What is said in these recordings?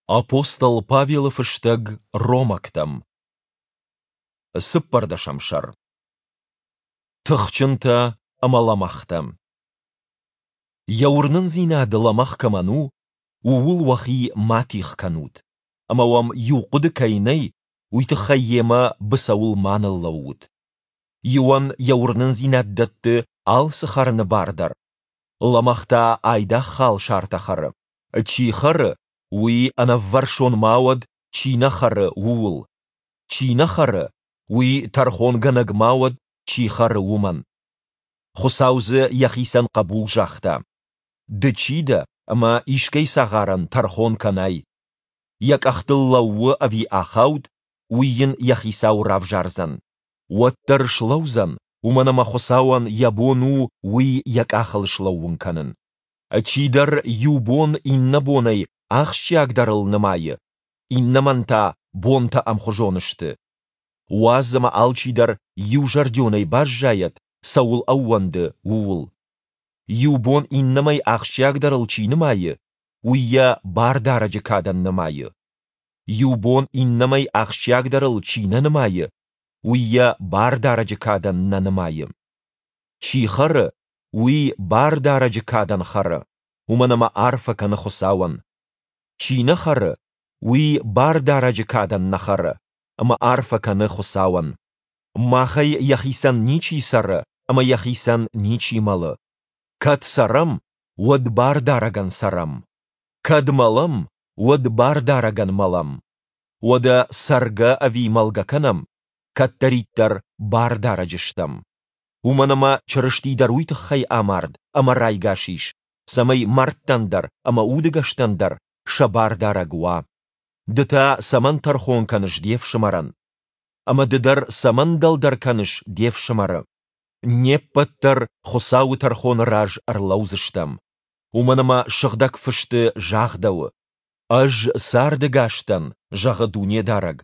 Апостол Павелы фыстӕг Ромӕгтӕм. Цыппӕрдӕсӕм сӕр. Тыхджынтӕ ӕмӕ лӕмӕгътӕ. Йӕ уырнындзинад лӕмӕгъ кӕмӕн у, ууыл уӕхи ма тигъ кӕнут, ӕмӕ уӕм иу хъуыды кӕй нӕй, уый тыххӕй йемӕ быцӕуыл ма ныллӕуут. Иуӕн йӕ уырнындзинад дӕтты алцы хӕрыны бар дӕр, лӕмӕгъ та айдагъ халсартӕ хӕры. Чи хӕры, уый ӕнӕввӕрсон ма уӕд, чи нӕ хӕры, ууыл. Чи нӕ хӕры, уый тӕрхонгӕнӕг ма уӕд, чи хӕры, уымӕн. Хуыцау дзы йӕхицӕн хъӕбул загъта. Ды чи дӕ, ӕмӕ искӕй цагъарӕн тӕрхон кӕнай? Йӕ къӕхтыл лӕууы ӕви ахауд, уый йын йӕ хицау равзардзӕн. Уӕддӕр слӕудзӕн, уымӕн ӕмӕ Хуыцауӕн йӕ бон у уый йӕ къахыл слӕууын кӕнын. Чидӕр иу бон иннӕ бонӕй ахсджиагдӕрыл нымайы, иннӕмӕн та бонтӕ ӕмхуызон сты. Уадз ӕмӕ алчидӕр иузӕрдионӕй баззайӕд, цӕуыл ӕууӕнды, ууыл. Иу бон иннӕмӕй ахсджиагдӕрыл чи нымайы, уый йӕ Бардарӕджы кадӕн нымайы. Иу бон иннӕмӕй ахсджиагдӕрыл чи нӕ нымайы, уый йӕ Бардарӕджы кадӕн нӕ нымайы. Чи хӕры, уый Бардарӕджы кадӕн хӕры, уымӕн ӕмӕ арфӕ кӕны Хуыцауӕн. Чи нӕ хӕры, уый Бардарӕджы кадӕн нӕ хӕры, ӕмӕ арфӕ кӕны Хуыцауӕн. Махӕй йӕхицӕн ничи цӕры ӕмӕ йӕхицӕн ничи мӕлы. Кӕд цӕрӕм, уӕд Бардарӕгӕн цӕрӕм. Кӕд мӕлӕм, уӕд Бардарӕгӕн мӕлӕм. Уӕдӕ цӕргӕ ӕви мӕлгӕ кӕнӕм, кӕддӕриддӕр Бардарӕджы стӕм. Уымӕн ӕмӕ Чырысти дӕр уый тыххӕй амард ӕмӕ райгас ис, цӕмӕй мӕрдтӕн дӕр ӕмӕ удӕгӕстӕн дӕр сӕ Бардарӕг уа. Ды та цӕмӕн тӕрхон кӕныс де фсымӕрӕн? Ӕмӕ ды дӕр цӕмӕн дӕлдӕр кӕныс де фсымӕры? Не ппӕт дӕр Хуыцауы тӕрхоны раз ӕрлӕудзыстӕм. Уымӕн ӕмӕ Сыгъдӕг Фысты загъдӕуы: Ӕз цардӕгас дӕн, зӕгъы Дунедарӕг,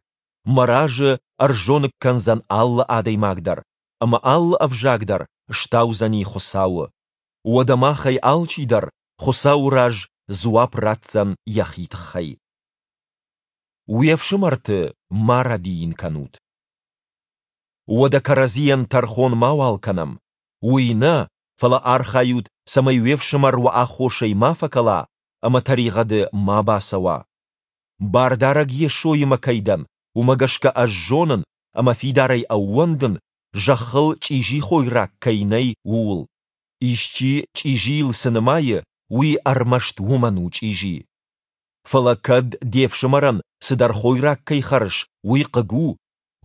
мӕ разы ӕрзоныг кӕндзӕн алы адӕймаг дӕр, ӕмӕ алы ӕвзаг дӕр стаудзӕни Хуыцауы. Уӕдӕ махӕй алчидӕр Хуыцауы раз дзуапп ратдзӕн йӕхи тыххӕй. Уе фсымӕрты ма рӕдийын кӕнут. Уӕдӕ кӕрӕдзийӕн тӕрхон мауал кӕнӕм. Уый нӕ, фӕлӕ архайут, цӕмӕй уе фсымӕр уӕ аххосӕй ма фӕкӕла ӕмӕ тӕригъӕды ма бацӕуа. Бардарӕг Йесоимӕ кӕй дӕн, уымӕ гӕсгӕ ӕз зонын ӕмӕ фидарӕй ӕууӕндын, зӕххыл чъизи хойраг кӕй нӕй, ууыл. Исчи чъизийыл цы нымайы, уый ӕрмӕст уымӕн у чъизи. Фӕлӕ кӕд де фсымӕрӕн цыдӕр хойраг кӕй хӕрыс, уый хъыг у,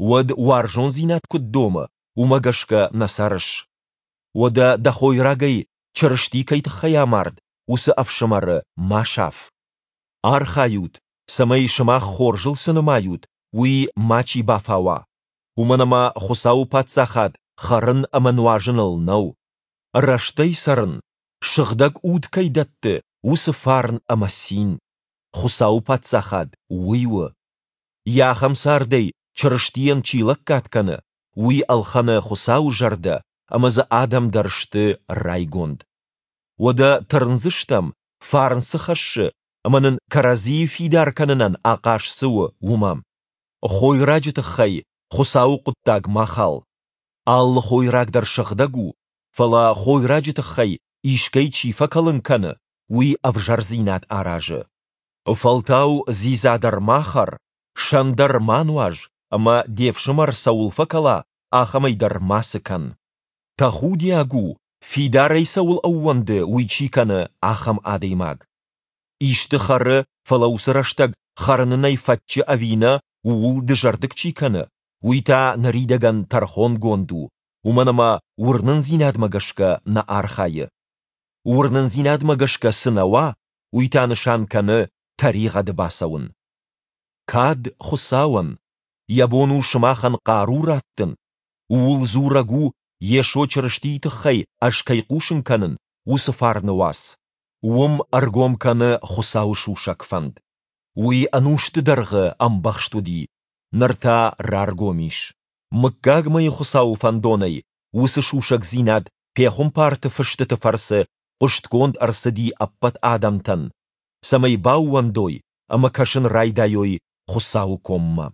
уӕд уарзондзинад куыд домы, уымӕ гӕсгӕ нӕ цӕрыс. Уӕдӕ дӕ хойрагӕй Чырысти кӕй тыххӕй амард, уыцы ӕфсымӕры ма саф. Архайут, цӕмӕй сымах хорзыл цы нымайут, уый мачи бафауа, уымӕн ӕмӕ Хуыцауы Паддзахад хӕрын ӕмӕ нуазыныл нӕу. Рӕстӕй цӕрын, Сыгъдӕг Уд кӕй дӕтты, уыцы фарн ӕмӕ цин. Хуыцауы Паддзахад уый у. Йӕ ахӕм цардӕй Чырыстийӕн чи лӕггад кӕны, уый ӕлхӕны Хуыцауы зӕрдӕ ӕмӕ дзы адӕм дӕр сты райгонд. Уӕдӕ тырндзыстӕм, фарн цы хӕссы ӕмӕ нын кӕрӕдзийы фидар кӕнынӕн ахъаз цы у, уымӕ. Хойраджы тыххӕй Хуыцауы хъуыддаг ма хал. Алы хойраг дӕр сыгъдӕг у, фӕлӕ хойраджы тыххӕй искӕй чи фӕкӕлын кӕны, уый ӕвзӕрдзинад аразы. Фӕлтау дзидза дӕр ма хӕр, сӕн дӕр ма нуаз ӕмӕ де фсымӕр цӕуыл фӕкӕла, ахӕмӕй дӕр мацы кӕн. Тӕхудиаг у, фидарӕй цӕуыл ӕууӕнды, уый чи кӕны, ахӕм адӕймаг. Исты хӕры, фӕлӕ уыцы рӕстӕг хӕрын ын ӕй фӕтчы ӕви нӕ, ууыл дызӕрдыг чи кӕны, уый та ныридӕгӕн тӕрхонгонд у, уымӕн ӕмӕ уырнындзинадмӕ гӕсгӕ нӕ архайы. Уырнындзинадмӕ гӕсгӕ цы нӕ уа, уый та нысан кӕны тӕригъӕды бацӕуын. Кад Хуыцауӕн, йӕ бон у сымахӕн хъару раттын, ууыл дзурӕг у, Йесо Чырыстийы тыххӕй ӕз кӕй хъусын кӕнын, уыцы фарны уац. Уым ӕргом кӕны Хуыцауы сусӕг фӕнд. Уый ӕнусты дӕргъы ӕмбӕхст уыди, ныр та раргом ис. Мыггагмӕйы Хуыцауы фӕндонӕй уыцы сусӕгдзинад пехуымпарты фыстыты фӕрцы хъуыстгонд ӕрцыди ӕппӕт адӕмтӕн, цӕмӕй баууӕндой. ӕмӕ кӕсын райдайой Хуыцауы коммӕ.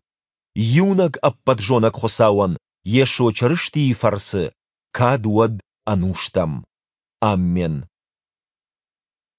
Иунӕг ӕппӕтзонӕг Хуыцауӕн Йесо Чырыстийы фӕрцы кад уӕд ӕнустӕм. Аммен.